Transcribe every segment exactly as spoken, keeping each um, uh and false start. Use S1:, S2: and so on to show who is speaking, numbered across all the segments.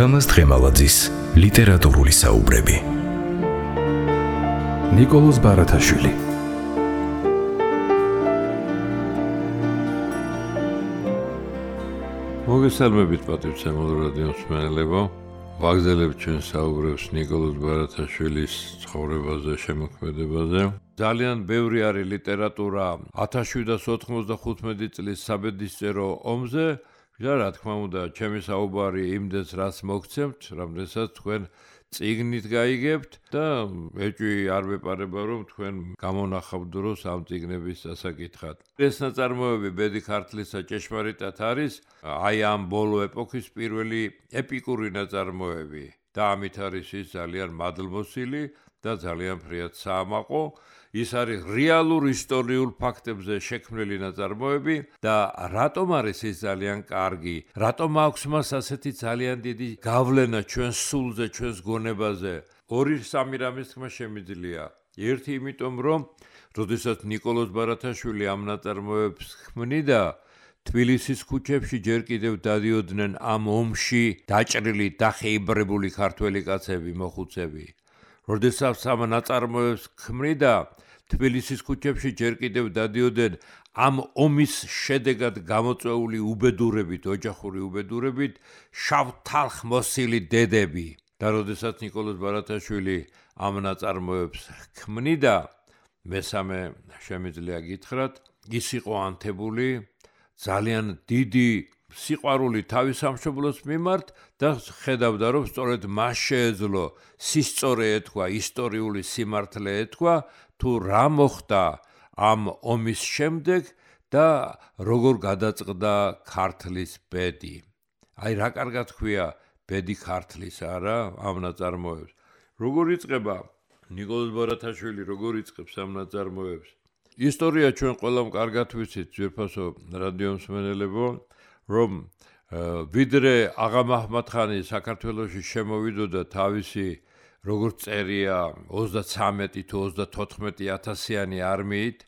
S1: თამაზ დღემალაძის ლიტერატურული საუბრები. ნიკოლოზ ბარათაშვილი.
S2: მოგესალმებით პატრიცემულ რადიო მსმენელებო. ვაგზელებთ ჩვენ საუბრებს ნიკოლოზ ბარათაშვილის ცხოვრებაზე, შემოქმედებაზე. ძალიან ბევრი არის ლიტერატურა ათას შვიდას ოთხმოცდახუთმეტი წლის საბედისწერო ომზე. და რა თქმა უნდა, ჩემი საუბარი იმდენს რაც მოგცემთ, რამდენსაც თქვენ წიგნით გაიგებთ და ეჭვი არ ვეპარება, რომ თქვენ გამონახავდროს ამ წიგნების დასაკითხად. ეს ნაწარმოები ბედი ქართლისა ჭეშმარიტად არის აი ამ ბოლო ეპოქის პირველი ეპიკური ნაწარმოები და ამით არის ის ძალიან მადლმოსილი და ძალიან ფრიად საამაყო. ის არის რეალურ ისტორიულ ფაქტებზე შექმნილი ნაწარმოები და რატომ არის ის ძალიან კარგი? რატომ აქვს მას ასეთი ძალიან დიდი გავლენა ჩვენს სულზე, ჩვენს გონებაზე? ორი სამი რამის თქმა შემიძლია. ერთი იმიტომ, რომ როდესაც ნიკოლოზ ბარათაშვილი ამ ნაწარმოებს ქმნიდა, თბილისის ქუჩებში ჯერ კიდევ დადიოდნენ ამ ომში დაჭრილი, დახეიბრებული ქართველი კაცები, მოხუცები. როდესაც ამ ნაწარმოებს ქმნიდა, თბილისის ქუჩებში ჯერ კიდევ დადიოდნენ ამ ომის შედეგად გამოწვეული უბედურებით, ოჯახური უბედურებით, შავ-თალხ-მოსილი დედები. და როდესაც ნიკოლოზ ბარათაშვილი ამ ნაწარმოებს ქმნიდა, მესამე შემიძლია გითხრათ, ის იყო ანთებული ძალიან დიდი სიყვარული თავის სამშობლოს მიმართ და ხედავდა, რომ სწორედ მას შეეძლო სისწორე ეთქვა, ისტორიული სიმართლე ეთქვა, თუ რა მოხდა ამ ომის შემდეგ და როგორ გადაწყდა ქართლის ბედი. აი რა კარგად ქვია ბედი ქართლის, არა, ამ ნაწარმოებს. როგორ იწყება ნიკოლოზ ბარათაშვილი, როგორ იწყებს ამ ნაწარმოებს? ისტორია ჩვენ ყველამ კარგად ვიცით, ძვირფასო რადიო მსმენელებო, რომ ვიდრე აღა მაჰმად-ხანი საქართველოში შემოვიდოდა თავისი როგორც წერია ოცდათრამეტი თუ ოცდათოთხმეტი ათასიანი არმიით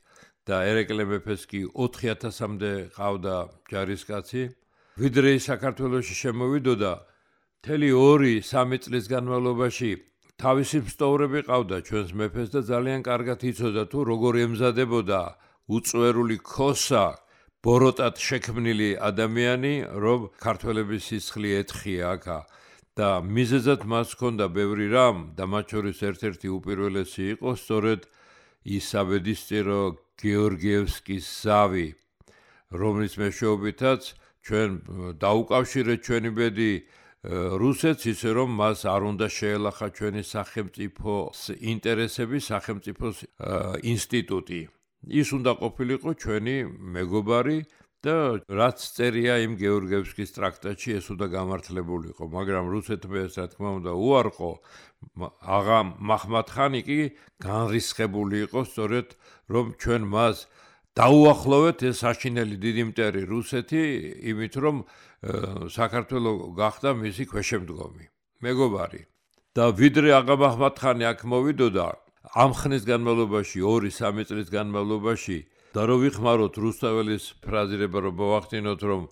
S2: და ერეკლე მეფეს კი ოთხი ათასამდე ყავდა ჯარისკაცი. ვიდრე ის საქართველოში შემოვიდოდა, მთელი ორი სამი წლის განმავლობაში თავისი მსტოვრები ყავდა ჩვენს მეფეს და ძალიან კარგად იცოდა თუ როგორ ემზადებოდა უწვერული ქოსა, ბოროტად შექმნილი ადამიანი, რომ ქართველების სისხლი ეთხია აქა. და მიზეზად მას ჰქონდა ბევრი რამ და მათ შორის ერთ-ერთი უპირველესი იყო სწორედ ის საბედისწერო გეორგიევსკის ზავი, რომლის მეშვეობითაც ჩვენ დაუკავშირეთ ჩვენი ბედი რუსეთს, ისე რომ მას არ უნდა შეელახა ჩვენი სახელმწიფოს ინტერესები, სახელმწიფოს ინსტიტუტი. ის უნდა ყოფილიყო ჩვენი მეგობარი და რაც წერია იმ გეორგიევსკის ტრაქტატში, ეს უნდა გამართლებულიყო, მაგრამ რუსეთმა ეს რა თქმა უნდა უარყო. აღა მაჰმად-ხანი კი განრისხებული იყო სწორედ, რომ ჩვენ მას დაუახლოვეთ ეს საშინელი დიდი მტერი რუსეთი, იმით რომ საქართველო გახდა მისი ქვეშემდგომი, მეგობარი. და ვიდრე აღა მაჰმად-ხანი აქ მოვიდოდა, ამ ხნის განმავლობაში, ორი სამი წლის განმავლობაში და რო ვიხმაროთ რუსთაველის ფრაზირება, რომ მოვახდინოთ, რომ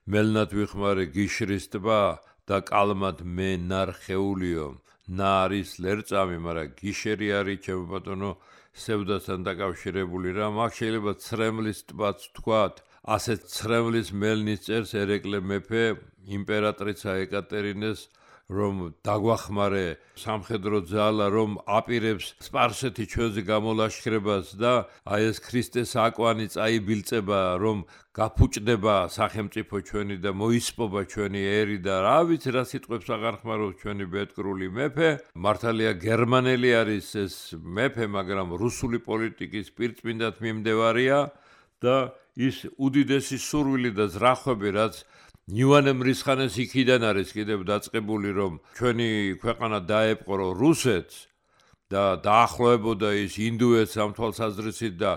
S2: მელნად ვიხმარე გიშრის ტბა და კალმად მე ნარხეულიო, ნა არის ლერწამი, მაგრამ გიშერი არის ჩემო ბატონო სევდასთან დაკავშირებული რა. მაგ შეიძლება ცრემლის ტბაც თქვათ, ასეთ ცრემლის მელნის წერს ერეკლე მეფე იმპერატრიცა ეკატერინეს, რომ დაგვახმარე სამხედრო ძალა, რომ აპირებს სპარსეთი ჩვენზე გამოლაშქრებას და აი ეს ქრისტეს აკვანი წაიბილწება, რომ გაფუჭდება სახელმწიფო ჩვენი და მოისპობა ჩვენი ერი და რა ვიცი რა სიტყვებს აღარ ხმარობს ჩვენი ბედკრული მეფე. მართალია გერმანელი არის ეს მეფე, მაგრამ რუსული პოლიტიკის პირწმინდად მიმდევარია და ის უდიდესი სურვილი და ზრახვები, რაც ივანე მრისხანეს იქიდან არის კიდევ დაწყებული, რომ ჩვენი ქვეყანა დაეპყრო რუსეთს და დაახლოებოდა ის ინდუეთს ამ თვალსაზრისით და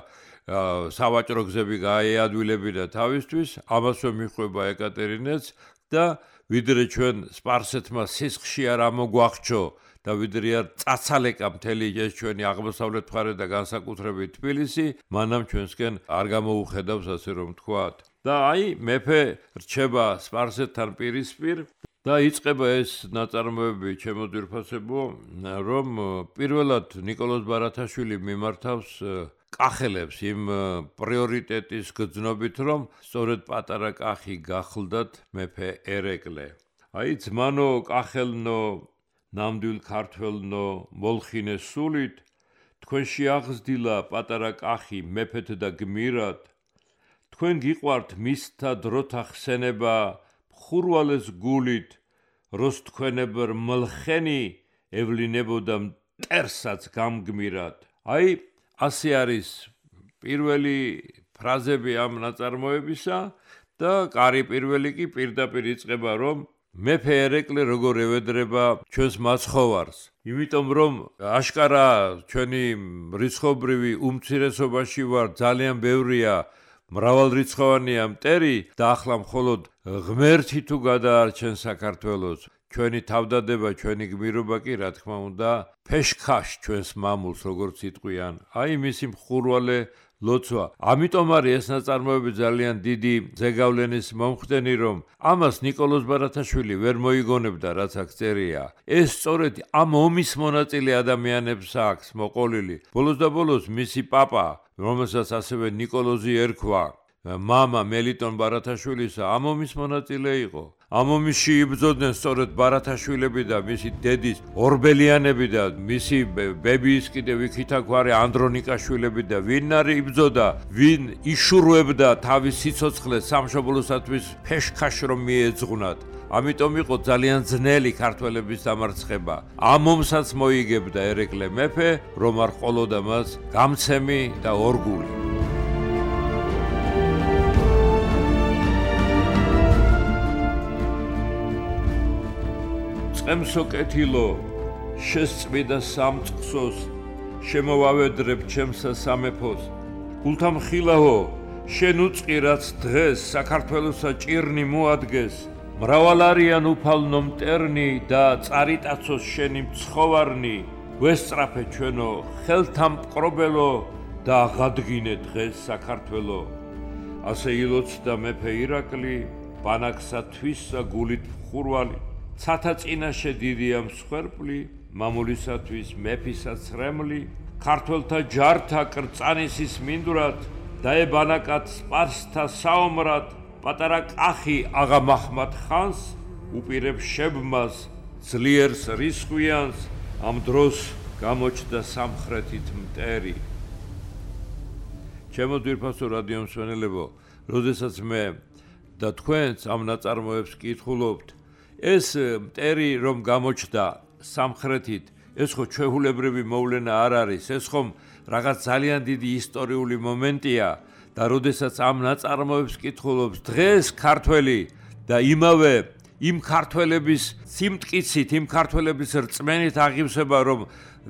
S2: სავაჭრო გზები გაეადვილებინა თავისთვის, ამასვე მიხვება ეკატერინეც და ვიდრე ჩვენ სპარსეთმა სისხლში არ ამოგვახჩო და ვიდრე არ წაცალეკა მთელი ეს ჩვენი აღმოსავლეთ მხარე და განსაკუთრებით თბილისი, მანამ ჩვენსკენ არ გამოუხედავს, ასე რომ ვთქვათ. და აი მეფე რჩება სპარსეთთან პირისპირ და იწყება ეს ნაწარმოები ჩემო ძვირფასებო, რომ პირველად ნიკოლოზ ბარათაშვილი მიმართავს კახელებს იმ პრიორიტეტის გრძნობით, რომ სწორედ პატარა კახი გახლდათ მეფე ერეკლე. აი ძმანო კახელნო, ნამდვილ ქართველნო, მოლხინე სულით, თქვენ შეაღზრდილა პატარა კახი მეფეთ და გმირად, თქვენ გიყვართ მისთა დროთა ხსენება, ხურვალეს გულით, როს თქვენებერ მლხენი ევლინებოდა მტერსაც გამგმირად. აი ასე არის პირველი ფრაზები ამ ნაწარმოებისა და კარი პირველი კი პირდაპირ იწყება, რომ მეფე ერეკლე როგორ ევედრება ჩვენს მაცხოვარს. იმიტომ რომ აშკარა ჩვენი რიცხობრივი უმცირესობაში ვარ, ძალიან ბევრია მრავალრიცხოვანია მტერი და ახლა მხოლოდ ღმერთი თუ გადაარჩენ საქართველოს, ჩვენი თავდადება, ჩვენი გმირობა კი რა თქმა უნდა ფეშქაშ ჩვენს მამულს როგორც იტყვიან. აი მისი მხურვალე ლოცვა. ამიტომ არის ეს ნაწარმოები ძალიან დიდი ზეგავლენის მომხდენი, რომ ამას ნიკოლოზ ბარათაშვილი ვერ მოიგონებდა, რაც აქ წერია. ეს სწორედ ამ ომის მონაწილე ადამიანებს აქვს მოყოლილი. ბოლოს და ბოლოს მისი პაპა, რომელსაც ასევე ნიკოლოზი ერქვა, მამა მელიტონ ბარათაშვილისა, ამ ომის მონაწილე იყო. ამ ომში იბრძოდნენ სწორედ ბარათაშვილები და მისი დედის ორბელიანები და მისი ბებიის კიდევ იქითაგვარი ანდრონიკაშვილები და ვინ არის იბრძოდა, ვინ იშურვებდა თავის სიცოცხლეს სამშობლოსათვის ფეშქაშ რომ მიეძღვნათ. ამიტომ იყო ძალიან ძნელი ქართველების დამარცხება. ამ ომსაც მოიგებდა ერეკლე მეფე, რომ არ ყოლოდა მას გამცემი და ორგული. წემსო კეთილო, შესწმიდა სამწყსოს, შემოვავედრებ ჩემსა სამეფოს. გულთამხილაო, შენ უწყი რაც დღეს საქართველოსა ჭირნი მოადგეს. მრავალ არიან უფალნო მტერნი და წარიტაცოს შენი მცხოვარნი. ვესწრაფე ჩვენო ხელთამპყრობელო და აღადგინე დღეს საქართველო. ასე ილოცდა მეფე ირაკლი, ბანაკსა თვისა გულით მხურვალი. ცათა წინაშე დიდია მსხვერპლი, მამულისათვის მეფისა ცრემლი, ქართველთა ჯართა კრწანისის მინდვრად, დაებანაკად სპარსთა საომრად, პატარა კახი აღა მაჰმად ხანს, უპირებ შებმას, ძლიერს რისხვიანს, ამ დროს გამოჩნდა სამხრეთით მტერი. ჩემო ძვირფასო რადიო მსმენელებო, როდესაც მე და თქვენც ამ ნაწარმოებს კითხულობთ, ეს მტერი რომ გამოჩნდა სამხრეთით, ეს ხო ჩვეულებრივი მოვლენა არ არის, ეს ხომ რაღაც ძალიან დიდი ისტორიული მომენტია და როდესაც ამ ნაწარმოებს კითხულობს დღეს ქართველი და იმავე იმ ქართველების სიმტკიცით, იმ ქართველების რწმენით აღივსება, რომ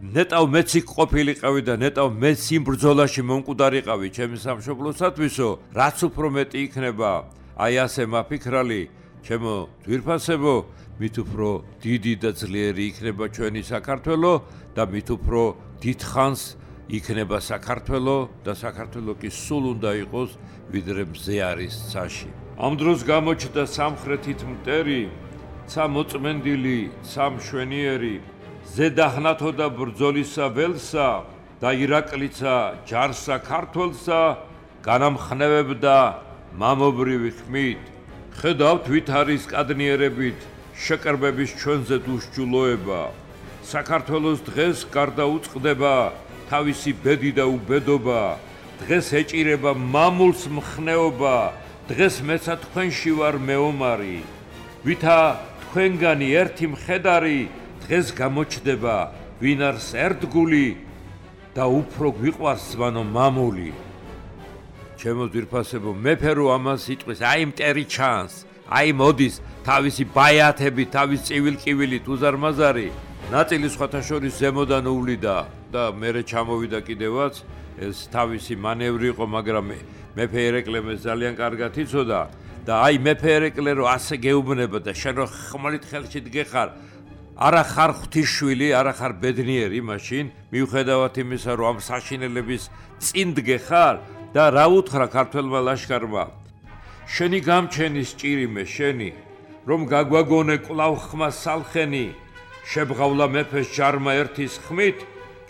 S2: ნეტავ მეც იქ ყოფილიყავი და ნეტავ მეც იმ ბრძოლაში მომკვდარიყავი ჩემი სამშობლოსათვისო, რაც უფრო მეტი იქნება, აი ასე მაფიქრალი ჩემო ძვირფასებო, მით უფრო დიდი და ძლიერი იქნება ჩვენი საქართველო და მით უფრო დიდხანს იქნება საქართველო და საქართველო კი სულ უნდა იყოს ვიდრე მზე არის ცაში. ამ დროს გამოჩნდა სამხრეთით მტერი, ცა მოწმენდილი, ცა მშვენიერი, ზედაჰნათო და ბრძოლისა ველსა და ირაკლიცა ჯარსა ქართველსა განამხნევებდა მამობრივი ხმით. ხედავთ ვით არის კადნიერებით შეკრბების ჩვენზე უსჯულოება. საქართველოს დღეს გარდა უწყდება თავისი ბედი და უბედობა. დღეს ეჭირება მამულს მხნეობა. დღეს მეცა თქვენში ვარ მეომარი. ვითა თქვენგანი ერთი მხედარი დღეს გამოჩნდება ვინ არის ერთგული და უფრო გვიყვარს ზვანო მამული. ჩემო ძვირფასებო, მეფე რო ამას იტყვის, აი მტერი ჩანს, აი მოდის თავისი ბაიათები, თავის წივილკივილით უზარმაზარი, ნაწილი სხვათა შორის ზემოდან უვლიდა და მერე ჩამოვიდა კიდევაც, ეს თავისი მანევრი იყო, მაგრამ მეფე ერეკლემ ძალიან კარგად იცოდა და აი მეფე ერეკლე რო ასე გეუბნება და შენ რო ხმალით ხელში დგეხარ, არა ხარ ღვთისშვილი, არა ხარ ბედნიერი მაშინ, მიუხედავად იმისა, რომ ამ საშინელების წინ დგეხარ და რა უთხრა ქართველმა ლაშქარმა, შენი გამჩენის ჭირიმე შენი, რომ გაგვაგონე კვლავ ხმა სალხენი შებრავლა მეფეს ჯარმა ერთის ხმით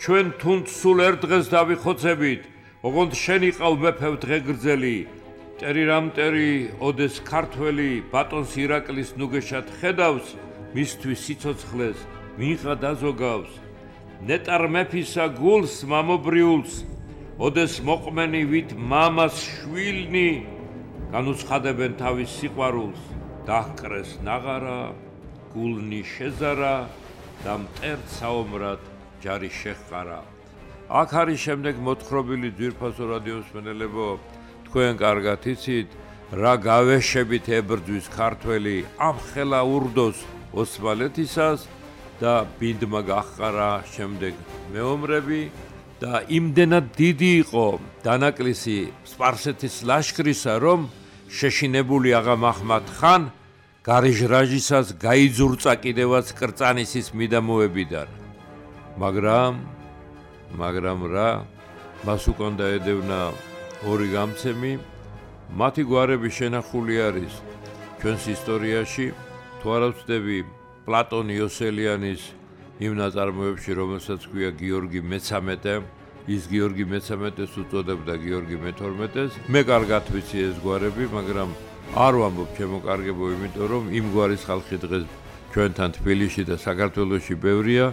S2: ჩვენ თუნდ სულ ერთ დღეს დავიხოცებით ოღონდ შენ იყავ მეფევ დღეგრძელი ტერი რამტერი ოდეს ქართველი ბატონს ირაკლის ნუგეშად ხედავს მისთვის სიცოცხლეს მიღა დაზოგავს ნეტარ მეფისა გულს მამობრიულს ოდეს მოყმენი ვით მამას შვილნი განუცხადებენ თავის სიყვარულს დაჰკრეს ნაღარა გულნი შეზარა და მტერთ საომრად ჯარი შეჰყარა აქ არის შემდეგ მოთხრობილი ძვირფასო რადიოსმენელებო თქვენ კარგად იცით რა გავეშებით ებრძვის ქართველი ამ ხელა ურდოს ოსმალეთისას და ბინდმა გაჰყარა შემდეგ მეომრები და იმდენად დიდი იყო დანაკლისი სპარსეთის ლაშქრისა რომ შეშინებული აღა მაჰმად ხან გარიჟრაჟისას გაიძურწა კიდევაც კრწანისის მიდამოებიდან მაგრამ მაგრამ რა მას უკან დაედევნა ორი გამცემი მათი გვარები შენახული არის ჩვენს ისტორიაში თუ არა ვცდები პლატონ იოსელიანის იმ ნაწარმოებში რომელსაც ქვია გიორგი მეცამეტე ის გიორგი მეცამეტეს უწოდებდა გიორგი მეთორმეტეს მე კარგად ვიცი ეს გვარები მაგრამ არ ვამბობ ჩემო კარგებო იმიტომ რომ იმ გვარის ხალხი დღეს ჩვენთან თბილისში და საქართველოში ბევრია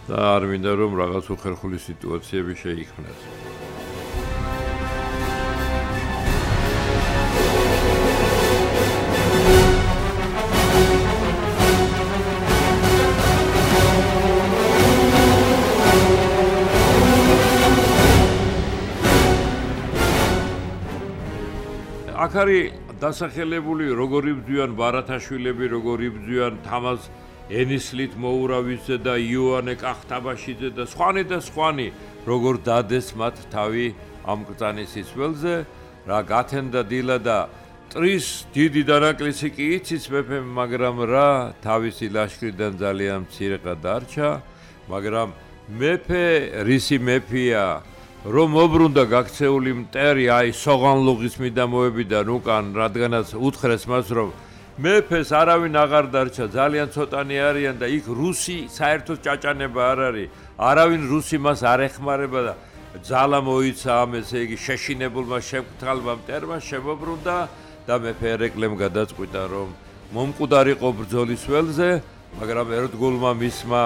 S2: და არ მინდა რომ რაღაც უხერხული სიტუაციები შეიქმნას აქ არის დასახელებული როგორ იბრძვიან ბარათაშვილები, როგორ იბრძვიან თამაზ ენისლით მოურავიძე და იოანე კახტაბაშიძე და სხვანი და სხვანი, როგორ დადეს მათ თავი ამ კრწანისის ველზე, რა გათენდა დილა და ტრის დიდი დანაკლისი კი იცის მეფემ, მაგრამ რა თავისი ლაშქრიდან ძალიან მცირეყა დარჩა, მაგრამ მეფე რისი მეფეა რომ მობრუნდა გაქცეული მტერი აი სოღანლუღის მიდამოებიდან უკან რადგანაც უთხრეს მას რომ მეფეს არავინ აღარ დარჩა ძალიან ცოტანი არიან და იქ რუსი საერთოდ ჭაჭანება არ არის არავინ რუსი მას არ ეხმარება და ძალა მოიცა ამ ესე იგი შეშინებულმა შემკთალმა მტერმა შემობრუნდა და მეფე ერეკლემ გადაწყვიტა რომ მომკვდარიყო ბრძოლის ველზე მაგრამ ერთგულმა მისმა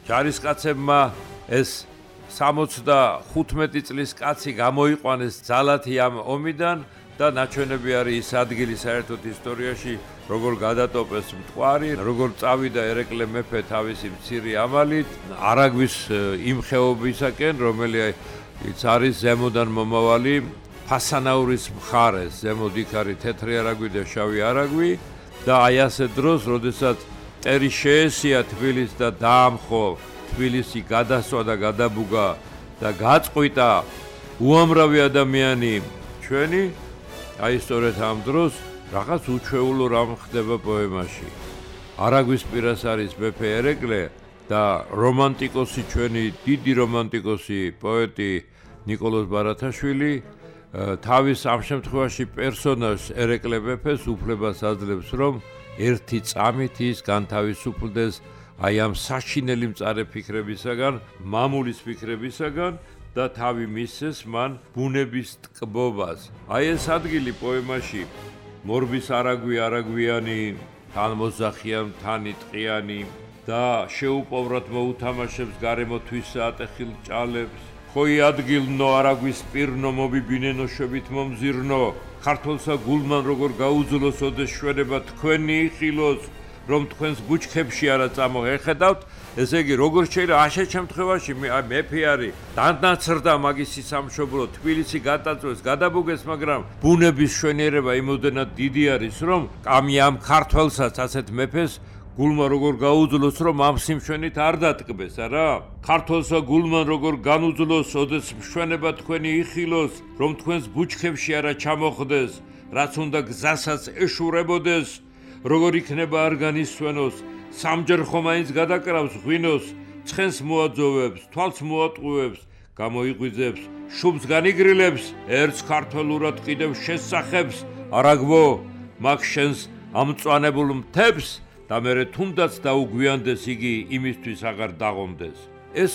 S2: ჯარისკაცებმა ეს სამოცდახუთმეტი წლის კაცი გამოიყვანეს ძალათი ამ ომიდან და ნაჩვენები არის ის ადგილი საერთოდ ისტორიაში როგორ გადატოპეს მტკვარი როგორ წავიდა ერეკლე მეფე თავისი მცირე ამალით არაგვის იმ ხეობისაკენ რომელიც არის ზემოდან მომავალი ფასანაურის მხარეს ზემოდ იქ არის თეთრი არაგვი და შავი არაგვი და აი ასე დროს როდესაც ტერი შეესია თბილისს და დაამხო თბილისი გადასვა და გადაბუგა და გაწყვიტა უამრავი ადამიანი ჩვენი აი სწორედ ამ დროს რაღაც უჩვეულო რამ ხდება პოემაში არაგვის პირას არის მეფე ერეკლე და რომანტიკოსი ჩვენი დიდი რომანტიკოსი პოეტი ნიკოლოზ ბარათაშვილი თავის ამ შემთხვევაში პერსონაჟს ერეკლე მეფეს უფლებას აძლევს რომ ერთი წამით ის განთავისუფლდეს აი ამ საშინელი მწარე ფიქრებისაგან, მამულის ფიქრებისაგან და თავი მისცეს მან ბუნების ტკბობას. აი ეს ადგილი პოემაში მორბის არაგვი არაგვიანი, თან მოძახიან, თანი ტყიანი და შეუპოვრად მოუთამაშებს გარემოთვის ატეხილ ჭალებს. ხოი ადგილნო არაგვის პირნო მობიბინენო შვებით მომზირნო, ქართველსა გულმან როგორ გაუძლოს ოდეს შვენება თქვენი იხილოს. რომ თქვენს ბუჩქებში არა წამოეხედავთ, ესე იგი როგორ შეიძლება ასეთ შემთხვევაში მეფე არის დანაცრდა მაგისი სამშობლო თბილისი გადაწვეს, გადაბუგეს, მაგრამ ბუნების შვენიერება იმოდენად დიდი არის, რომ ამი ამ ქართველსაც ასეთ მეფეს გულმა როგორ გაუძლოს, რომ ამ სიმშვენით არ დატკბეს, არა? ქართველსა გულმან როგორ განუძლოს, ოდეს მშვენება თქვენი იხილოს, რომ თქვენს ბუჩქებში არა ჩამოხდეს, რაც უნდა გზასაც ეშურებოდეს. როგორ იქნება არ განისვენოს, სამჯერ ხომ აინც გადაკრავს ღვინოს, ცხენს მოაძოვებს, თვალს მოატყუებს, გამოიღვიძებს, შუბს განიგრილებს, ერთს ქართველურად კიდევ შესახებს, არაგვო, მაგ შენს ამ მწვანებულ მთებს და მერე თუნდაც დაუგვიანდეს იგი იმისთვის აღარ დაღონდეს. ეს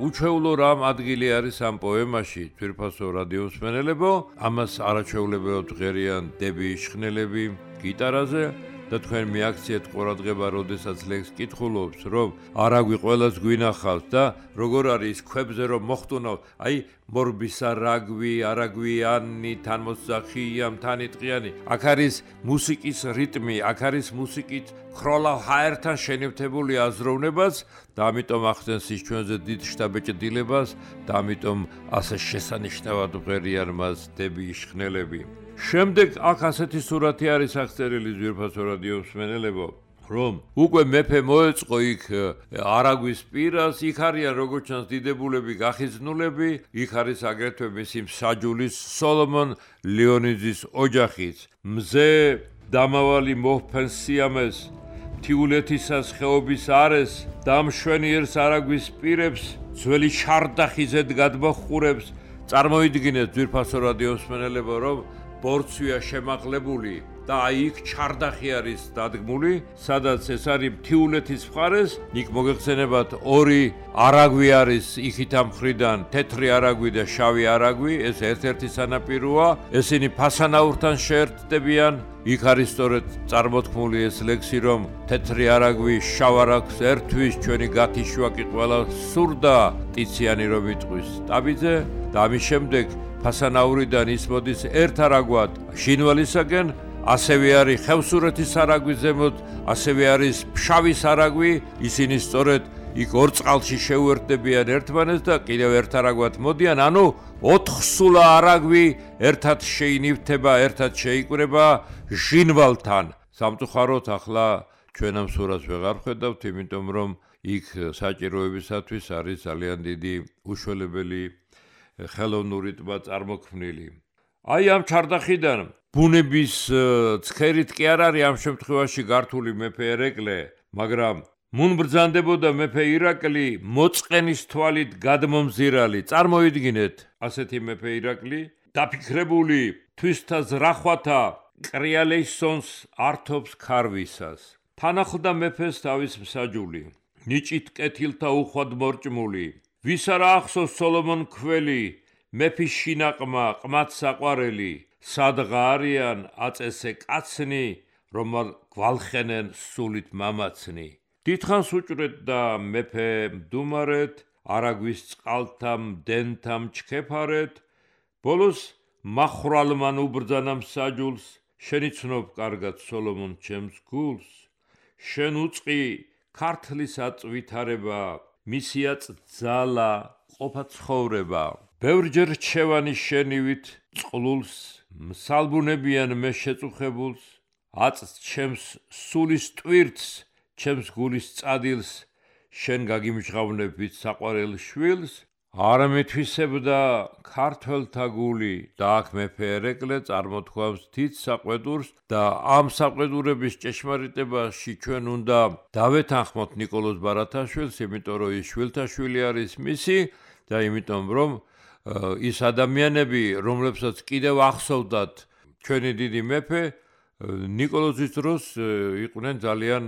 S2: უჩვეულო რამ ადგილი არის ამ პოემაში, თვირფასო რადიომსმენელებო, ამას არაჩვეულებრივად ღერიან დები იშხნელები გიტარაზე და თქვენ მიაქციეთ ყურადღება, როდესაც ლექს კითხულობს, რომ არაგვი ყველას გვინახავს და როგორ არის ქვებზე რომ მოხტუნავ, აი მორბისა რაგვი, არაგვიანი, თანმოსახია, თანიტყიანი. აქ არის მუსიკის რიტმი, აქ არის მუსიკით ქროლავ ჰაერთან შენივთებული აზროვნებას და ამიტომ ახდენს ის ჩვენზე დიდ შთაბეჭდილებას და ამიტომ ასე შესანიშნავად ღერიან მას დები იშხნელები. შემდეგ აქ ასეთი სურათი არის აღწერილი ძვირფასო რადიომსმენელებო, რომ უკვე მეფე მოეწყო იქ არაგვის პირას, იქ არიან როგორც ჩანს დიდებულები გახიზნულები, იქ არის აგრეთვე მისი მსაჯულის სოლომონ ლეონიძის ოჯახიც. მზე დამავალი მოჰფენს სიამეს, მთიულეთისას ხეობის არეს, დამშვენიერს არაგვის პირებს, ძველი შარდახიზედ გადმოხურებს. წარმოიდგინეთ ძვირფასო რადიომსმენელებო, რომ ბორცვია შემაღლებული და აი იქ ჩარდახი არის დადგმული, სადაც ეს არის მთიულეთის მხარეს, იქ მოგეხსენებათ ორი არაგვი არის იქით ამ მხრიდან, თეთრი არაგვი და შავი არაგვი, ეს ერთ-ერთი სანაპიროა, ესენი ფასანაურთან შეერთდებიან, იქ არის სწორედ წარმოთქმული ეს ლექსი, რომ თეთრი არაგვი შავ არაგვს ერთვის, ჩვენი გათიშვაკი ყველა სურდა, ტიციანი რომ იტყვის ტაბიძე და ამის შემდეგ ფასანაურიდან ის მოდის ერთ არაგვად ჟინვალისაკენ, ასევე არის ხევსურეთის არაგვის ზემოთ, ასევე არის ფშავის არაგვი, ისინი სწორედ იქ ორ წყალში შეუერთდებიან ერთმანეთს და კიდევ ერთ არაგვად მოდიან, ანუ ოთხსულა არაგვი ერთად შეინივთება, ერთად შეიკვრება ჟინვალთან. სამწუხაროდ ახლა ჩვენ ამ სურათს ვეღარ ვხედავთ, იმიტომ რომ იქ საჭიროებისათვის არის ძალიან დიდი უშველებელი ხელოვნური ტბა წარმოქმნილი. აი ამ ჩარდახიდან ბუნების ცხერით კი არ არის ამ შემთხვევაში გართული მეფე ერეკლე, მაგრამ მუნბრძანდებოდა მეფე ირაკლი მოწყენის თვალით გადმომზირალი. წარმოიდგინეთ, ასეთი მეფე ირაკლი დაფიქრებული თვისთა ზრახვათა კრიალეისონს ართობს ქარვისას. თან ახლდა მეფეს თავის მსაჯული, ნიჭით კეთილთა უხვად მორჭმული. ვის არა ახსოვს სოლომონ ქველი, მეფის შინაყმა ყმად საყვარელი, სადღა არიან აწესე კაცნი, რომ გვალხენენ სულით მამაცნი. დიდხანს უჭრეთდა მეფე მდუმარეთ, არაგვის წყალთამ დენთამ ჩქეფარეთ, ბოლოს მახრალმან უბრძანა მსაჯულს, შენი ცნობ კარგად სოლომონ ჩემს გულს, შენ უწყი ქართლის აწვითარება, მისიაც ძალა ყოფა ცხოვრება. ბევრჯერ რჩევანი შენივით წყლულს, მსალბუნებიან მე შეწუხებულს, აწს ჩემს სულის ტვირთს, ჩემს გულის წადილს, შენ გაგიმჟღავნებით საყვარელ შვილს, არ მითვისებდა ქართველთა გული და აქ მეფე ერეკლე წარმოთქვამს თით საყვედურს და ამ საყვედურების ჭეშმარიტებაში ჩვენ უნდა დავეთანხმოთ ნიკოლოზ ბარათაშვილს, იმიტომ რომ ის შვილთაშვილი არის მისი და იმიტომ რომ ის ადამიანები, რომლებსაც კიდევ ახსოვდათ ჩვენი დიდი მეფე, ნიკოლოზის დროს იყვნენ ძალიან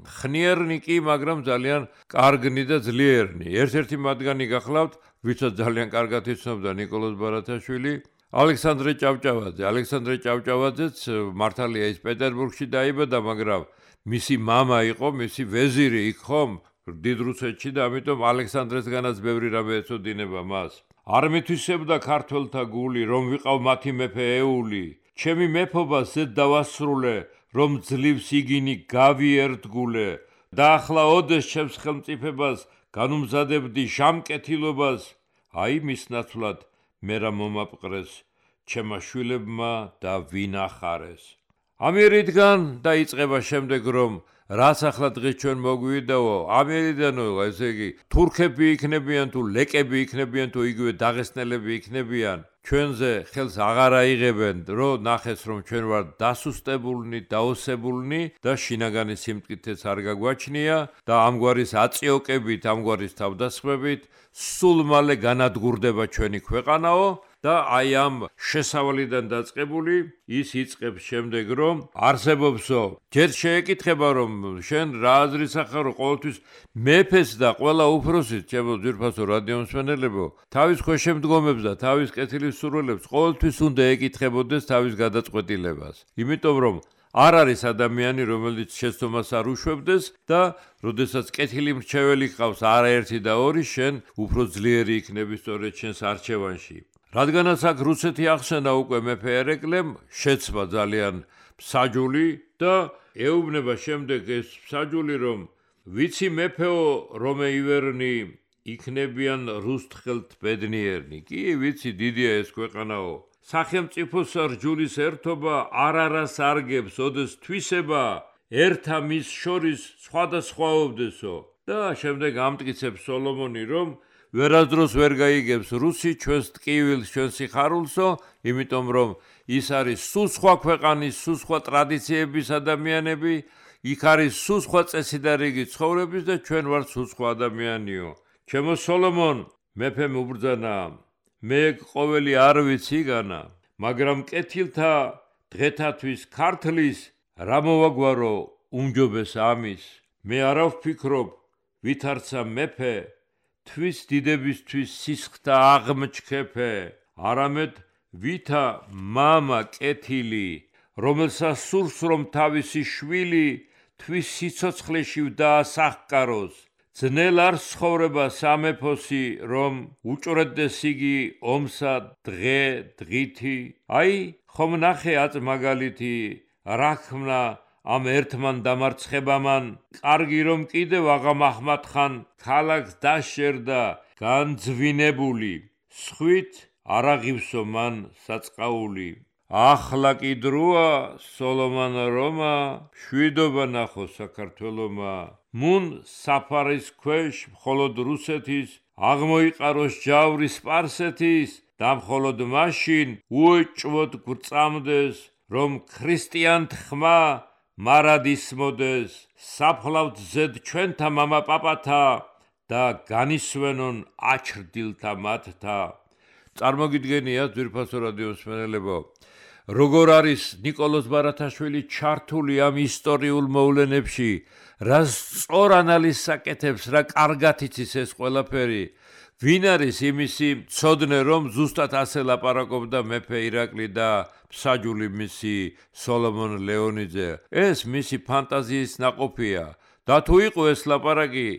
S2: ხნიერნი კი, მაგრამ ძალიან კარგნი და ძლიერნი. ერთ-ერთი მათგანი გახლავთ, ვისაც ძალიან კარგად იცნობდა ნიკოლოზ ბარათაშვილი, ალექსანდრე ჭავჭავაძე. ალექსანდრე ჭავჭავაძეც მართალია ის პეტერბურგში დაიბადა, მაგრამ მისი მამა იყო, მისი ვეზირი იქ ხომ დიდ რუსეთში და ამიტომ ალექსანდრესგანაც ბევრი რამე ეწოდინება მას. არ მითვისებდა ქართველთა გული, რომ ვიყავ მათი მეფე ეული. ჩემი მეფობა ზედ დავასრულე, რომ ძლივს იგინი გავიერდგულე და ახლა ოდეს ჩემს ხელმწიფებას განუმზადებდი ჟამკეთილობას, აი მის ნაცვლად მე რა მომაპყრეს, ჩემმა შვილებმა და ვინახარეს. ამიერიდან დაიწყება შემდეგ რომ რაც ახლა დღეს ჩვენ მოგვიდაო, ამიერიდანო, ესე იგი, თურქები იქნებიან თუ ლეკები იქნებიან თუ იგივე დაღესტნელები იქნებიან, ჩვენზე ხელს აღარ აიღებენ, რომ ნახეს რომ ჩვენ ვარ დასუსტებულნი, დაოსებულნი და შინაგანი სიმტკიცეც არ გაგვაჩნია და ამგვარის აწიოკებით, ამგვარის თავდასხმებით სულ მალე განადგურდება ჩვენი ქვეყანაო და აი ამ შესავლიდან დაწყებული ის იწყებს შემდეგ რომ არსებობსო ჯერ შეეკითხება რომ შენ რა აზრის ახარ ყოველთვის მეფეს და ყველა უფროსის ჩემო ძვირფასო რადიომსმენელებო თავის ქვეშემდგომებს და თავის კეთილის სურვილებს ყოველთვის უნდა ეკითხებოდეს თავის გადაწყვეტილებას იმიტომ რომ არ არის ადამიანი რომელიც შეცდომას არ უშვებდეს და როდესაც კეთილი მრჩეველი ყავს არაერთი და ორი შენ უფრო ძლიერი იქნები სწორედ შენს არჩევანში რადგანაც აქ რუსეთი ახსენა უკვე მეფე ერეკლემ შეცვა ძალიან მსაჯული და ეუბნება შემდეგ ეს მსაჯული რომ ვიცი მეფეო რომე ივერნი იქნებიან რუსთხელთ ბედნიერნი კი ვიცი დიდია ეს ქვეყანაო სახელმწიფოს რჯულის ერთობა არ არას არგებს ოდეს თვისება ერთა მის შორის სხვადასხვაობდესო და შემდეგ ამტკიცებს სოლომონი რომ ვერასდროს ვერ გაიგებს რუსი ჩვენს ტკივილს ჩვენს სიხარულსო იმიტომ რომ ის არის სულ სხვა ქვეყანის სულ სხვა ტრადიციების ადამიანები იქ არის სულ სხვა წესიდარიგი ცხოვრების და ჩვენ ვართ სულ სხვა ადამიანიო ჩემო სოლომონ მეფემ უბრძანა მე ყოველი არ ვიცი განა მაგრამ კეთილთა დღეთათვის ქართლის რა მოვაგვარო უმჯობეს ამის მე არა ვფიქრობ ვითარცა მეფე თვის დიდებისთვის სისხლთა აღმჩქეფე არამედ ვითა მამა კეთილი რომელსაც სურს რომ თავისი შვილი თვის სიცოცხლეში დაასახკაროს ძნელ არ ცხოვრება სამეფოსი რომ უჭრედდეს იგი ომსა დღე დღითი აი ხომ ნახე აწ მაგალითი რახმნა ამ ერთმან დამარცხებამან კარგი რომ კიდევ აღამ აჰმად ხან ქალაქს დაშერდა განძვინებული სხვით არ აღივსო მან საწყაული ახლა კი დროა სოლომონ რომა შვიდობა ნახო საქართველომა მუნ საფარის ქვეშ მხოლოდ რუსეთის აღმოიყაროს ჯავრი სპარსეთის და მხოლოდ მაშინ უეჭვოდ გვწამდეს რომ ქრისტიანთ ხმა მარად ისმოდეს საფლავთ ზედ ჩვენთა მამა პაპათა და განისვენონ აჩრდილთა მათთა წარმოგიდგენია ძვირფასო რადიომსმენელებო როგორ არის ნიკოლოზ ბარათაშვილი ჩართული ამ ისტორიულ მოვლენებში რა სწორ ანალიზს აკეთებს რა კარგად იცის ეს ყველაფერი ვინ არის იმისი მცოდნე რომ ზუსტად ასე ლაპარაკობდა მეფე ირაკლი და მსაჯული მისი სოლომონ ლეონიძე ეს მისი ფანტაზიის ნაყოფია და თუ იყო ეს ლაპარაკი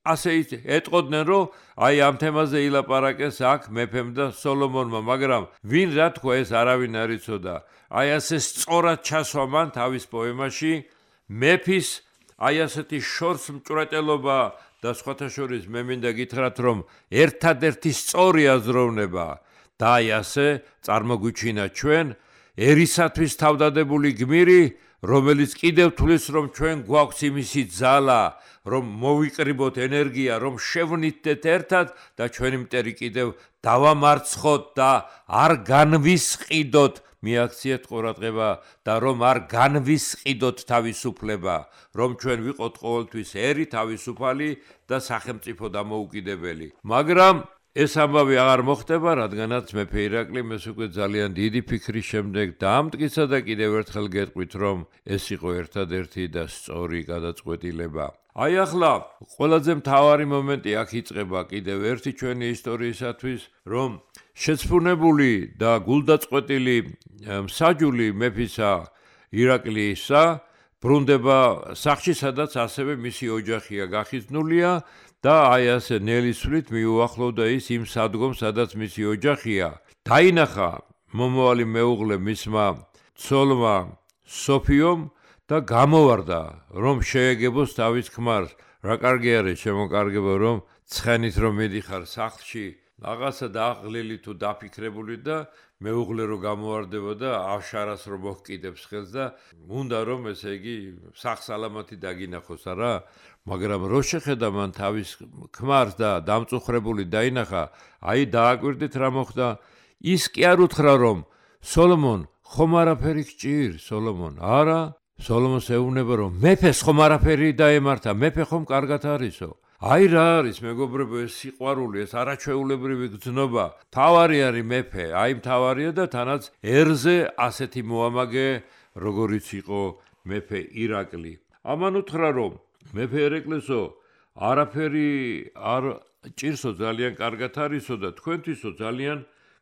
S2: ასე ეტყოდნენ რომ აი ამ თემაზე ილაპარაკეს აქ მეფემ და სოლომონმა მაგრამ ვინ რა თქვა ეს არავინ არ იცოდა აი ასე სწორად ჩასვა მან თავის პოემაში მეფის აი ასეთი შორს მჭვრეტელობა და სხვათა შორის მე მინდა გითხრათ რომ ერთადერთი სწორი აზროვნება და აი ასე წარმოგვიჩინა ჩვენ ერისათვის თავდადებული გმირი რომელიც კიდევ თulis რომ ჩვენ გვაქვს იმისი ძალა რომ მოვიკრიბოთ ენერგია რომ შევნითდეთ ერთად და ჩვენი მტერი კიდევ დავამარცხოთ და არ განვისყიდოთ მიაქციეთ ყურადღება და რომ არ განვისყიდოთ თავისუფლება რომ ჩვენ ვიყოთ ყოველთვის ერი თავისუფალი და სახელმწიფო დამოუკიდებელი მაგრამ ეს ამბავი აღარ მოხდება რადგანაც მეფე ირაკლი ეს უკვე ძალიან დიდი ფიქრის შემდეგ დაამტკიცა და კიდევ ერთხელ გეტყვით რომ ეს იყო ერთადერთი და სწორი გადაწყვეტილება აი ახლა ყველაზე მთავარი მომენტი აქ იწყება კიდევ ერთი ჩვენი ისტორიისათვის რომ შეცფუნებული და გულდაწყვეტილი მსაჯული მეფისა ირაკლისა ბრუნდება სახლში სადაც ასევე მისი ოჯახია გახიზნულია და აი ასე ნელისვლით მიუახლოვდა ის იმ სადგომს სადაც მისი ოჯახია დაინახა მომავალი მეუღლე მისმა ცოლმა სოფიომ და გამოვარდა რომ შეეგებოს თავის ქმარს რა კარგი არის შემოკარგება რომ ცხენით რომ მიდიხარ სახლში რაღაცა დააღლილი თუ დაფიქრებული და მეუღლე რო გამოვარდება და ავშარას რო მოჰკიდებს ხელს და უნდა რომ ესე იგი სახსალამათი დაგინახოს არა მაგრამ რო შეხედა მან თავის ქმარს და დამწუხრებული დაინახა აი დააკვირდით რა მოხდა ის კი არ უთხრა რომ სოლომონ ხომ არაფერი გჭირ სოლომონ არა სოლომონს ეუბნება რომ მეფეს ხომ არაფერი დაემართა მეფე ხომ კარგად არისო აი რა არის მეგობრებო ეს სიყვარული, ეს არაჩვეულებრივი გრძნობა. თავარი არის მეფე, აი მთავარია და თანაც ერზე ასეთი მოამაგე, როგორიც იყო მეფე ირაკლი. ამან უთხრა რომ მეფე ერეკლესო, არაფერი არ ჭირსო ძალიან კარგად არისო და თქვენთვისო ძალიან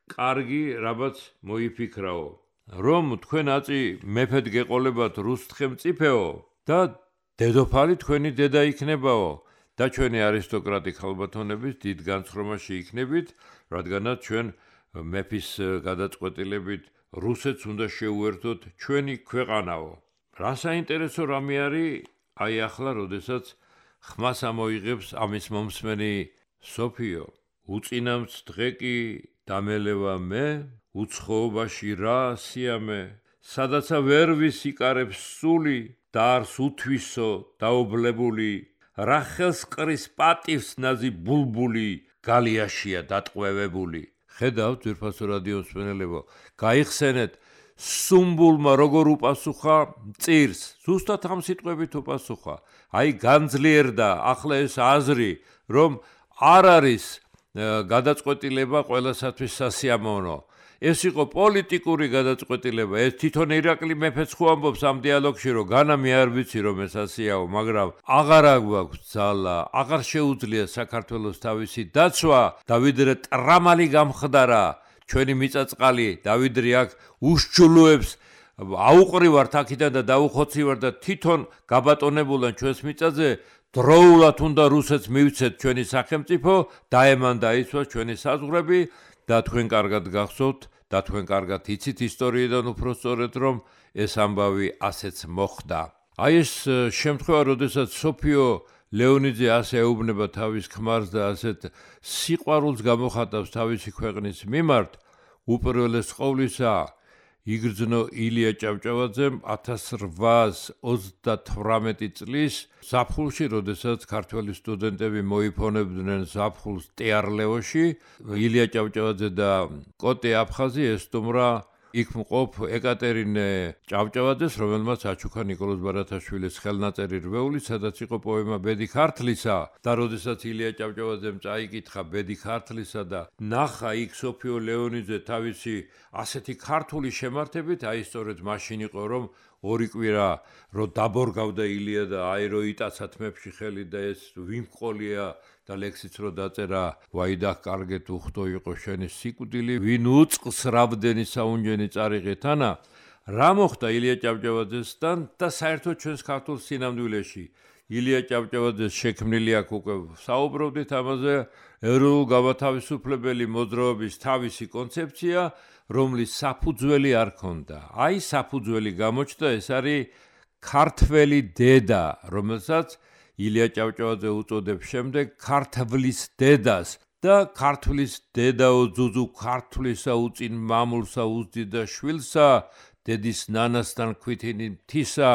S2: კარგი რაბაც მოიფიქრაო. რომ თქვენ აწი მეფედ გეყოლებათ რუსთხემწიფეო და დედოფალი თქვენი დედა იქნებაო და ჩვენი არისტოკრატი ქალბატონების დიდ განცხრომაში იქნებით, რადგანაც ჩვენ მეფის გადაწყვეტილებით რუსეთს უნდა შეუერთოთ ჩვენი ქვეყანაო. რა საინტერესო რამე არის აი ახლა, როდესაც ხმას ამოიღებს ამის მომსმენი სოფიო. უწინამც დღე კი დამელევა მე, უცხოობაში რა სიამე, სადაცა ვერ ვისიკარებს სული და არს უთვისო დაობლებული, რა ხელს ყრის პატივს ნაზი ბულბული, გალიაშია დატყვევებული. ხედავთ ძვირფასო რადიო მსმენელებო, გაიხსენეთ სუმბულმა როგორ უპასუხა მწირს, ზუსტად ამ სიტყვებით უპასუხა. აი განძლიერდა ახლა ეს აზრი, რომ არ არის გადაწყვეტილება ყველასათვის სასიამოვნო. ეს იყო პოლიტიკური გადაწყვეტილება. ეს თვითონ ირაკლი მეფეც ხო ამბობს ამ დიალოგში, რომ განა მე არ ვიცი რომ ეს ასიაო, მაგრამ აღარ აქვს ძალა, აღარ შეუძლია საქართველოს თავისი დაცვა და ვიდრე ტრამალი გამხდარა ჩვენი მიწაწყალი და ვიდრე აქ უშჩულოებს აუყრივართ აქედან და დაუხოცივართ და თვითონ გაბატონებულან ჩვენს მიწაზე, დროულად უნდა რუსეთს მივცეთ ჩვენი სახელმწიფო, დაემან დაიცვა ჩვენი საზღვრები და თქვენ კარგად გახსოვთ და თქვენ კარგად იცით ისტორიიდან უფრო სწორედ რომ ეს ამბავი ასეც მოხდა. აი ეს შემთხვევა, როდესაც სოფიო ლეონიძე ასე ეუბნება თავის ქმარს და ასეთ სიყვარულს გამოხატავს თავისი ქვეყნის მიმართ, უპირველეს ყოვლისა იგრძნო ილია ჭავჭავაძემ ათას რვაას ოცდათვრამეტი წლის ზაფხულში, როდესაც ქართველი სტუდენტები მოიფონებდნენ ზაფხულს ტეარლეოში, ილია ჭავჭავაძე და კოტე აფხაზი ესტუმრა იქ მყოფ ეკატერინე ჭავჭავაძეს, რომელმაც აჩუქა ნიკოლოზ ბარათაშვილის ხელნაწერი რვეული, სადაც იყო პოემა ბედი ქართლისა და როდესაც ილია ჭავჭავაძემ წაიკითხა ბედი ქართლისა და ნახა იქ სოფიო ლეონიძე თავისი ასეთი ქართული შემართებით, აი სწორედ მაშინ იყო რომ ორი კვირა რო დაბორგავდა ილია და აი რო იტაცა თმებში ხელი და ეს ვიმყოლია და ლექსიც რო დაწერა, ვაიდა კარგეთ უხდო იყო შენი სიკვდილი, ვინ უწყს რავდენი საუნჯენი წარიღეთანა. რა მოხდა ილია ჭავჭავაძესთან და საერთოდ ჩვენს ქართულ სინამდვილეში? ილია ჭავჭავაძეს შექმნილი აქ უკვე საუბრობდით ამაზე, ეროვნულ-გამათავისუფლებელი მოძრაობის თავისი კონცეფცია, რომლის საფუძველი არ ქონდა. აი საფუძველი გამოჩნდა, ეს არის ქართველი დედა, რომელსაც ილია ჭავჭავაძე უწოდებს შემდეგ ქართლის დედას და ქართლის დედაო ძუძუ ქართლისა უწინ მამულსა უძდიდა შვილსა, დედის ნანასთან ქვითინი მთისა,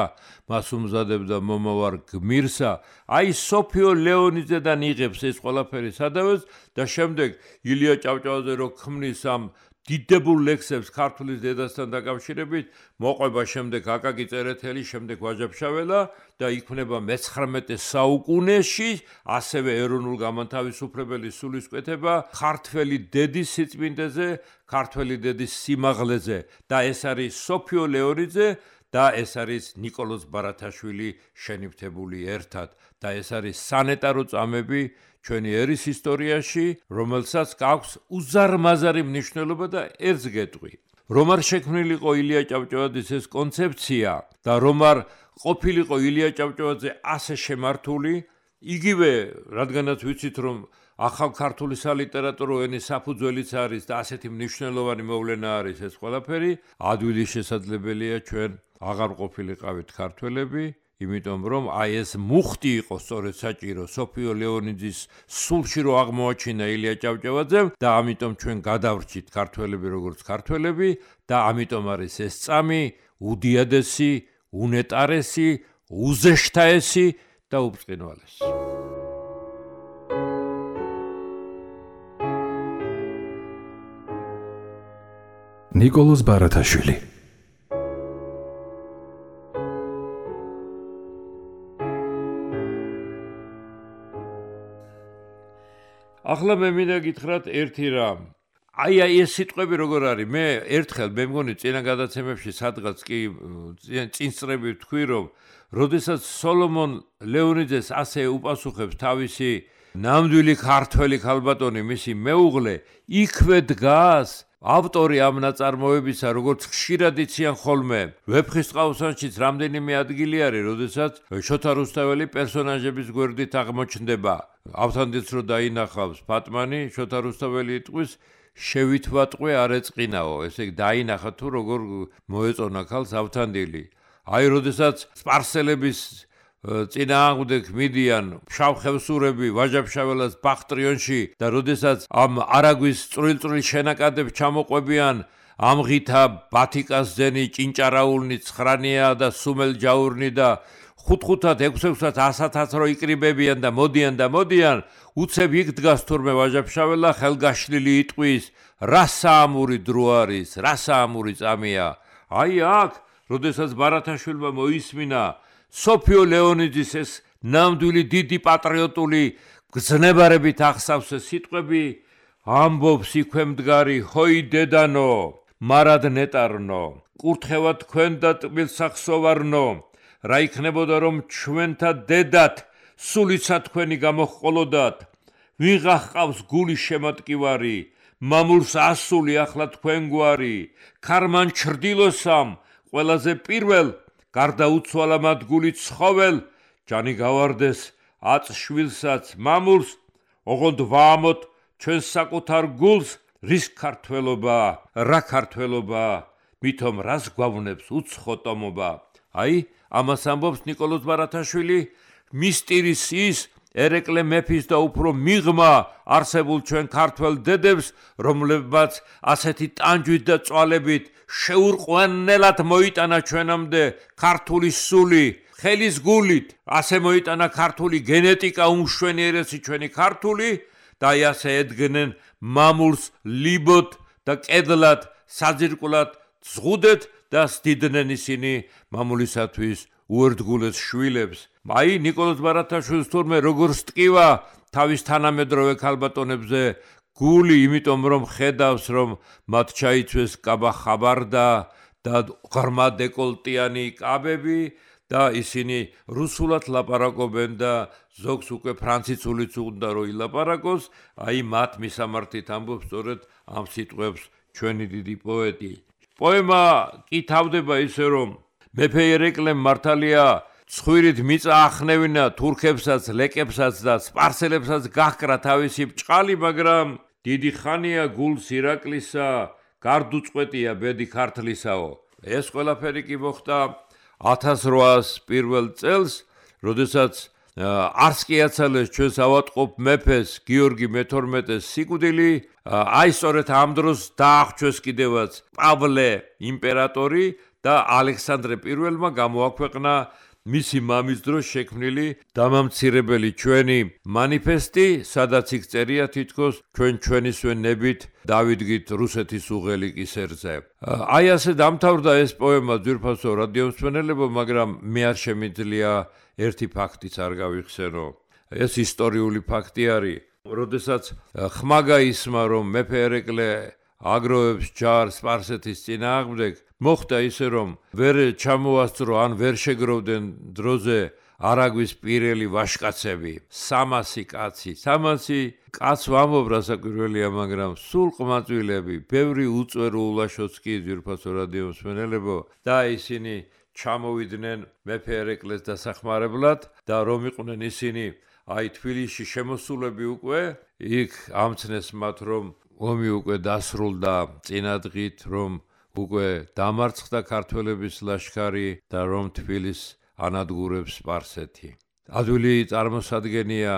S2: მას უმზადებდა მომავარ გმირსა. აი სოფიო ლეონიძედან იღებს ეს ყველაფერი სადავეს და შემდეგ ილია ჭავჭავაძე რო ქმნის ამ დიდებულ ლექსებს ქართლის დედასთან დაკავშირებით, მოყვება შემდეგ აკაკი წერეთელი, შემდეგ ვაჟა-ფშაველა და იქმნება მეცხრამეტე საუკუნეში ასევე ეროვნულ-გამათავისუფლებელი სულისკვეთება ქართველი დედის სიწმინდეზე, ქართველი დედის სიმაღლეზე და ეს არის სოფიო ლეონიძე და ეს არის ნიკოლოზ ბარათაშვილი შენიფთებული ერთად და ეს არის სანეტარო წამები ჩვენი ერის ისტორიაში, რომელსაც აქვს უზარმაზარი მნიშვნელობა და ერთს გეტყვი. რომ არ შექმნილიყო ილია ჭავჭავაძის ეს კონცეფცია და რომ არ ყოფილიყო ილია ჭავჭავაძე ასე შემართული, იგივე რადგანაც ვიცით რომ ახალ ქართული სალიტერატურო ენის საფუძველიც არის და ასეთი მნიშვნელოვანი მოვლენა არის ეს ყველაფერი, ადვილი შესაძლებელია ჩვენ აღარ ყოფილიყავით ქართველები, იმიტომ რომ აი ეს მუხტი იყო სწორედ საჭირო სოფიო ლეონიძის სულში რო აღმოაჩინა ილია ჭავჭავაძემ და ამიტომ ჩვენ გადავრჩით ქართველები როგორც ქართველები და ამიტომ არის ეს წამი უდიადესი, უნეტარესი, უზეშთაესი და უბწყინვალესი.
S1: ნიკოლოზ ბარათაშვილი.
S2: ახლა მე მინდა გითხრათ ერთი რამ. აი აი ეს სიტყვები როგორ არის? მე ერთხელ მე მგონი წინა გადაცემებში სადღაც კი წინსწრები ვთქვი, რომ როდესაც სოლომონ ლეონიძეს ასე უპასუხებს თავისი ნამდვილი ქართველი ქალბატონი, მისი მეუღლე, იქვე დგას ავტორი ამ ნაწარმოებისა, როგორც ხშირად იციან ხოლმე, ვეფხისტყაოსანშიც რამდენიმე ადგილი არის, როდესაც შოთა რუსთაველი პერსონაჟების გვერდით აღმოჩნდება. ავთანდილს რო დაინახავს ფატმანი, შოთა რუსთაველი იტყვის შევითვატყვე არ ეწყინაო, ესე იგი დაინახა თუ როგორ მოეწონა ქალს ავთანდილი. აი, როდესაც სპარსელების წინააღმდეგ მიდიან ფშავ-ხევსურები ვაჟა-ფშაველას ბახტრიონში და როდესაც ამ არაგვის წვრილ-წვრილ შენაკადებს ჩამოყვებიან ამღითა ბათიკასძენი, ჭინჭარაულნი, ცხრანია და სუმელ-ჯაურნი და ხუთ-ხუთად, ექვს-ექვსად, ასათაც რო იკრიბებიან და მოდიან და მოდიან, უცებ იქ დგას თურმე ვაჟა-ფშაველა ხელგაშლილი იტყვის, რა საამური დრო არის, რა საამური წამია. აი აქ, როდესაც ბარათაშვილმა მოისმინა სოფიო ლეონიძის ეს ნამდვილი დიდი პატრიოტული გზნებარებით ახსავს ეს სიტყვები, ამბობს იქვე მდგარი, ჰოი დედანო, მარად ნეტარნო, კურთხევა თქვენ და ტკბილსახსოვარნო, რა იქნებოდა რომ ჩვენთა დედათ სულიცა თქვენი გამოჰყოლოდათ, ვიღა ჰყავს გულის შემატკივარი, მამულს ასული ახლა თქვენ გვარი, ქარმან ჩრდილოსამ ყველაზე პირველ გარდაუცვალა მათ გული ცხოველ, ჯანი გავარდეს აწ შვილსაც მამულს, ოღონდ ვაამოთ ჩვენს საკუთარ გულს, რის ქართველობა, რა ქართველობა, მithom რას გვავნებს უცხო ტომობა. აი, ამას ამბობს ნიკოლოზ ბარათაშვილი, მისტირის ის ერეკლე მეფის და უფრო მიღმა არსებულ ჩვენ ქართველ დედებს, რომლებმაც ასეთი ტანჯვით და წვალებით შეურყვანელად მოიტანა ჩვენამდე ქართული სული, ხელის გულით, ასე მოიტანა ქართული გენეტიკა უმშვენიერესი ჩვენი ქართული და აი ასე ედგნენ მამულს ლიბოთ და კედლად, საძირკვლად ზღუდეთ და სდიდნენ ისინი მამულისათვის უერთგულეს შვილებს. აი ნიკოლოზ ბარათაშვილს თურმე როგორ სტკივა თავის თანამედროვე ქალბატონებზე გული, იმიტომ რომ ხედავს რომ მათ ჩაიცვეს კაბა ხაბარდა და ღრმა დეკოლტიანი კაბები და ისინი რუსულად ლაპარაკობენ და ზოგს უკვე ფრანციცულიც უნდა რომ ილაპარაკოს, აი მათ მისამართით ამბობს სწორედ ამ სიტყვებს ჩვენი დიდი პოეტი. პოემა კი თავდება ისე რომ მეფე ერეკლემ მართალია ცხვირით მიწა ახნევინა თურქებსაც, ლეკებსაც და სპარსელებსაც გაჰკრა თავისი ბჭყალი, მაგრამ დიდი ხანია გულს ირაკლისა, გარდუწყვეტია ბედი ქართლისაო. ეს ყველაფერი კი მოხდა ათას რვაას პირველ წელს, როდესაც არც კი აცალეს ჩვენს ავადმყოფ მეფეს გიორგი მეთორმეტეს სიკვდილი, აი სწორედ ამ დროს დაახვჩეს კიდევაც პავლე იმპერატორი და ალექსანდრე პირველმა გამოაქვეყნა მისი მამის დროს შექმნილი დამამცირებელი ჩვენი მანიფესტი, სადაც იქ წერია თითქოს ჩვენ ჩვენისვე ნებით დავიდგით რუსეთის უღელი კისერზე. აი ასე დამთავრდა ეს პოემა, ძვირფასო რადიომსმენელებო, მაგრამ მე არ შემიძლია ერთი ფაქტიც არ გავიხსენო. ეს ისტორიული ფაქტი არის, როდესაც ხმა გაისმა რომ მეფე ერეკლე აგროვებს ჯარს სპარსეთის წინააღმდეგ, მოხდა ისე რომ ვერ ჩამოასწრო ან ვერ შეგროვდნენ დროზე არაგვის პირელი ვაჟკაცები, სამასი კაცი, სამასი კაც ვამბობ რასაკვირველია, მაგრამ სულ ყმაწვილები, ბევრი უწვერო ულაშოც კი ძვირფასო რადიომსმენელებო და ისინი ჩამოვიდნენ მეფე ერეკლეს დასახმარებლად და რომ იყვნენ ისინი აი თბილისში შემოსულები უკვე, იქ ამცნეს მათ რომ ომი უკვე დასრულდა წინადღით, რომ უკვე დამარცხდა ქართველების ლაშქარი და რომ თბილისს ანადგურებს სპარსეთი. ადვილი წარმოსადგენია,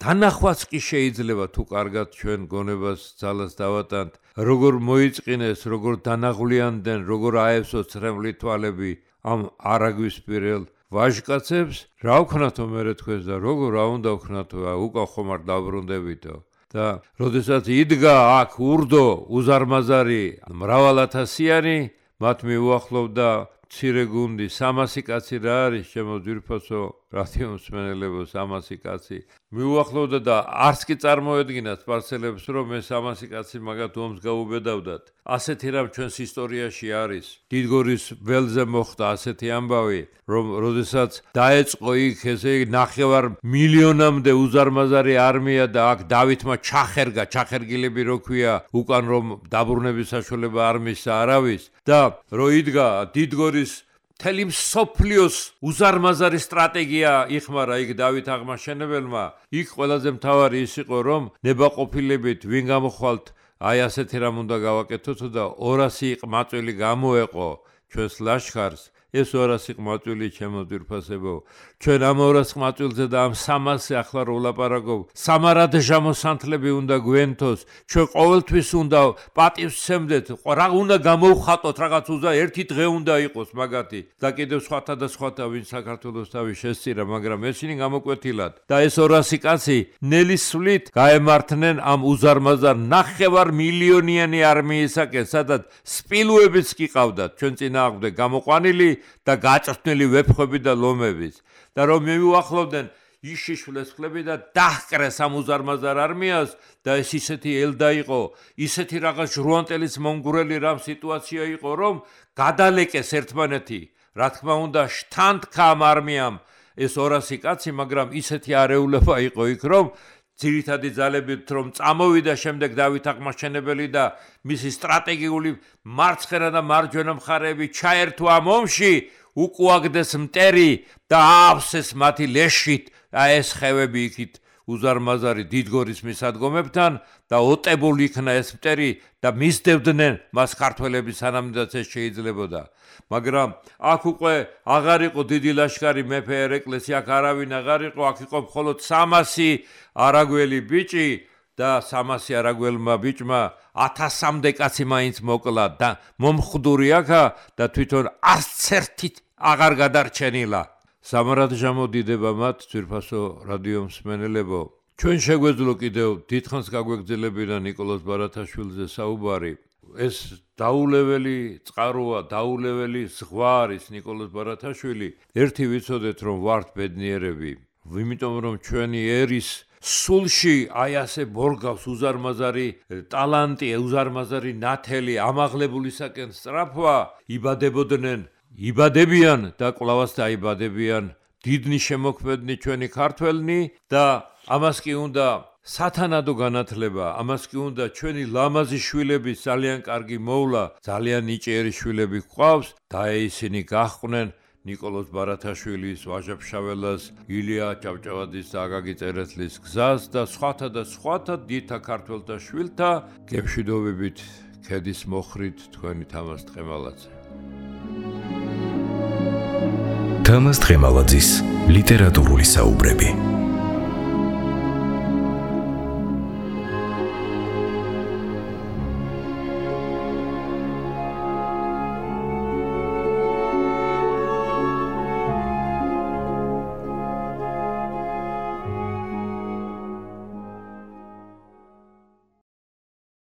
S2: თანახვაც კი შეიძლება თუ კარგად ჩვენ გონებას ძალას დავატანთ, როგორ მოიწყინეს, როგორ დანაღვლიანდნენ, როგორ აევსოთ ცრემლი თვალები ამ არაგვის პირელ ვაჟკაცებს, რა ვქნათო მერე თქვენს და როგორ რა უნდა ვქნათო, უკან ხომ არ დავბრუნდებითო. და როდესაც იდგა აქ ურდო უზარმაზარი მრავალათასიანი, მათ მიუახლოვდა მცირე გუნდი, სამასი კაცი რა არის, ჩემო ძვირფასო რადიო მსმენელებო, სამასი კაცი მიუახლოვდა და არც კი წარმოედგინა სპარსელებს, რომ ეს სამასი კაცი მაგათ ომს გაუბედავდათ. ასეთი რამ ჩვენს ისტორიაში არის. დიდგორის ველზე მოხდა ასეთი ამბავი, რომ როდესაც დაეწყო იქ ესე ნახევარ მილიონამდე უზარმაზარი არმია და აქ დავითმა ჩახერგა, ჩახერგილები რო ქვია, უკან რომ დაბრუნების საშუალება არ მისცა არავის და რო იდგა დიდგორის მთელი მსოფლიოს უზარმაზარი სტრატეგია იხმარა იქ დავით აღმაშენებელმა, იქ ყველაზე მთავარი ის იყო, რომ ნებაყოფილებით ვინ გამოხვალთ, აი ასეთი რამ უნდა გავაკეთოთ და ორასი ყმაწვილი გამოეყო ჩვენს ლაშქარს. ეს ორასი ყმაწვილი ჩემო ძვირფასებო, ჩვენ ამ ორას ყმაწვილზე და ამ სამასზე ახლა რო ვლაპარაკობ, სამარადჟა მოსანთლები უნდა გვენთოს, ჩვენ ყოველთვის უნდა პატივს სცემდეთ, რა უნდა გამოვხატოთ, რაღაც უზა ერთი დღე უნდა იყოს მაგათი და კიდევ სხვათა და სხვათა ვინ საქართველოს თავი შესწირა, მაგრამ ესენი გამოკვეთილად და ეს ორასი კაცი ნელის სვლით გაემართნენ ამ უზარმაზარ ნახევარ მილიონიანი არმიისაკენ, სადაც სპილოებიც კი ყავდათ ჩვენ წინააღმდეგ გამოყვანილი და გაჭრთნილი ვეფხვები და ლომებიც და რომ მივუახლოვდნენ იშიშვლეს ხლები და დაჰკრეს ამ უზარმაზარ არმიას და ეს ისეთი ელდა იყო, ისეთი რაღაც ჟრუანტელის მომგვრელი რამ სიტუაცია იყო, რომ გადალეკეს ერთმანეთი. რა თქმა უნდა, შთანთქა ამ არმიამ ეს ორასი კაცი, მაგრამ ისეთი არეულობა იყო იქ, რომ ძირითადი ძალებით რომ წამოვიდა შემდეგ დავით აღმაშენებელი და მისი სტრატეგიული მარცხენა და მარჯვენა მხარეები ჩაერთო ამ ომში, უკუაგდეს მტერი და აავსეს მათი ლეშით და ეს ხევები იქით უზარმაზარი დიდგორის მისადგომებთან და ოტებული იქნა ეს მტერი და მისდევდნენ მას ქართველები სანამდეც ეს შეიძლებოდა. მაგრამ აქ უკვე აღარ იყო დიდი ლაშქარი, მეფე ერეკლეს აქ არავინ აღარ იყო, აქ იყო მხოლოდ სამასი არაგველი ბიჭი და სამასი არაგველმა ბიჭმა ათასამდე კაცი მაინც მოკლა და მომხდური აქა და თვითონ არც ერთი აღარ გადარჩენილა. სამარადჟა მოდიდება მათ, ძვირფასო რადიო მსმენელებო. ჩვენ შეგვეძლო კიდევ დიდხანს გაგვეგრძელებინა ნიკოლოზ ბარათაშვილზე საუბარი. ეს დაულეველი წყაროა, დაულეველი ზღვა არის ნიკოლოზ ბარათაშვილი. ერთი ვიცოდეთ, რომ ვართ ბედნიერები, იმიტომ რომ ჩვენი ერის სულში აი ასე ბორგავს უზარმაზარი ტალანტი, უზარმაზარი ნათელი, ამაღლებულისაკენ სწრაფვა, იბადებოდნენ, იბადებიან და კვლავაც დაიბადებიან დიდნი შემოქმედნი ჩვენი ქართველნი და ამას კი უნდა სათანადო განათლება, ამას კი უნდა ჩვენი ლამაზი შვილების ძალიან კარგი მოვლა, ძალიან ნიჭიერი შვილები გვყავს და ისინი გაჰყვნენ ნიკოლოზ ბარათაშვილის, ვაჟა-ფშაველას, ილია ჭავჭავაძის და აკაკი წერეთლის გზას და სხვათა და სხვათა დიდთა ქართველთა შვილთა გემშვიდობებით ქედის მოხრით თქვენი თამაზ ტყემალაძე.
S3: თამაზ ტყემალაძის ლიტერატურული საუბრები.